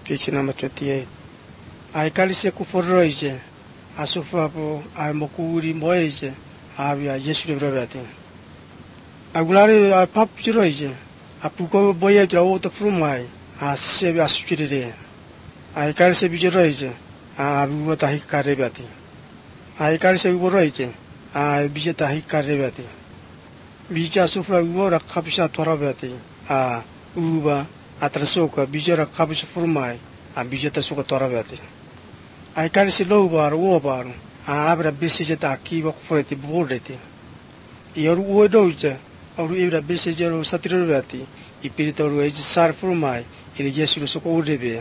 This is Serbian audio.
Picture number 28. Aikalise kuforoije, asufapo, mokuri moije, avia Yesu brevati. Agulari papuroije, apuko boye draw frumai, sebi asutire. Aikalise bijeroije, abuta hikarebati. Aikalise uboroije, bijeta hikarebati. Bija sufra ugora kapsha torabati, uba. Atrasoka bijara kabis furmai bijata soka torabati ai si lobar obar abra bisijeta akiba kufreti bordeti yoru odoja oru ibra bisijero satirobati ipiritoru ej sar furmai iri Yesu soka urebe